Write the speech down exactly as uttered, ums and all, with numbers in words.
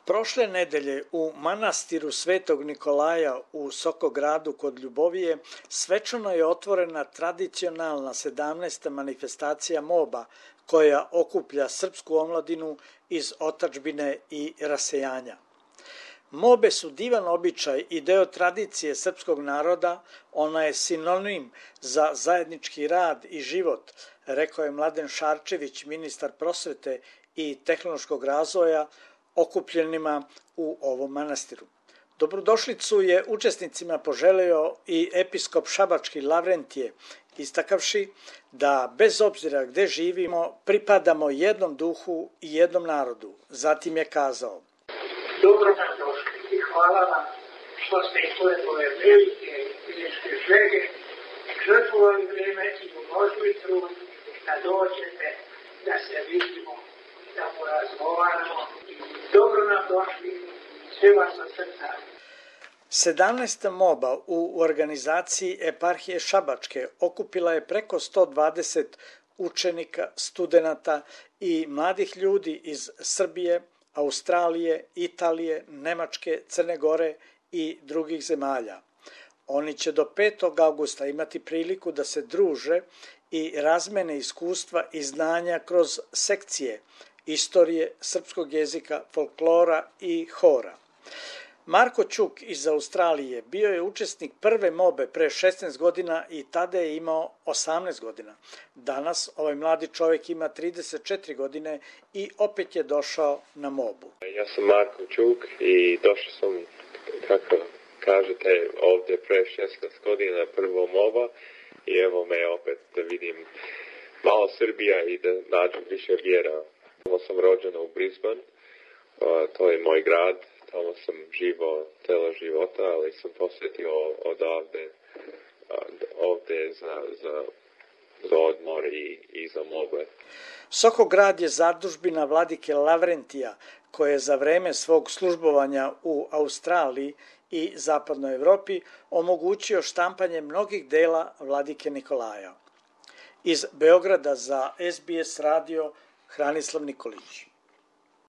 Prošle nedelje u manastiru Svetog Nikolaja u Sokogradu kod Ljubovije svečano je otvorena tradicionalna sedamnaesta manifestacija moba koja okuplja srpsku omladinu iz otadžbine i rasejanja. Mobe su divan običaj i deo tradicije srpskog naroda, ona je sinonim za zajednički rad i život, rekao je Mladen Šarčević, ministar prosvete i tehnološkog razvoja, okupljenima u ovom manastiru. Dobrodošlicu je učesnicima poželeo i episkop šabački Lavrentije, istakavši da bez obzira gde živimo pripadamo jednom duhu i jednom narodu. Zatim je kazao: Dobro nam došli i hvala vam što ste i svoje ove velike fizičke želje žrtvovali vrijeme i uložili trud da dođete, da se vidimo, da porazgovaramo. Dobro nam došli, sve vas od srca. sedamnaesta moba u organizaciji eparhije Šabačke okupila je preko sto dvadeset učenika, studenata i mladih ljudi iz Srbije, Australije, Italije, Nemačke, Crne Gore i drugih zemalja. Oni će do petog avgusta imati priliku da se druže i razmene iskustva i znanja kroz sekcije istorije, srpskog jezika, folklora i hora. Marko Ćuk iz Australije bio je učesnik prve mobe pre šesnaest godina i tada je imao osamnaest godina. Danas ovaj mladi čovjek ima trideset četiri godine i opet je došao na mobu. Ja sam Marko Ćuk i došao sam, kako kažete, ovdje pre šesnaest godina prvo moba i evo me opet da vidim malo Srbija i da nađem više vjera. Tamo sam rođen u Brisbane, to je moj grad. Tamo sam živo celo života, ali sam posjetio odavde ovdje za, za, za odmor i, i za mobe. Sokograd je zadužbina vladike Lavrentija, koje je za vreme svog službovanja u Australiji i zapadnoj Evropi omogućio štampanje mnogih dela vladike Nikolaja. Iz Beograda za S B S radio Hranislav Nikolić.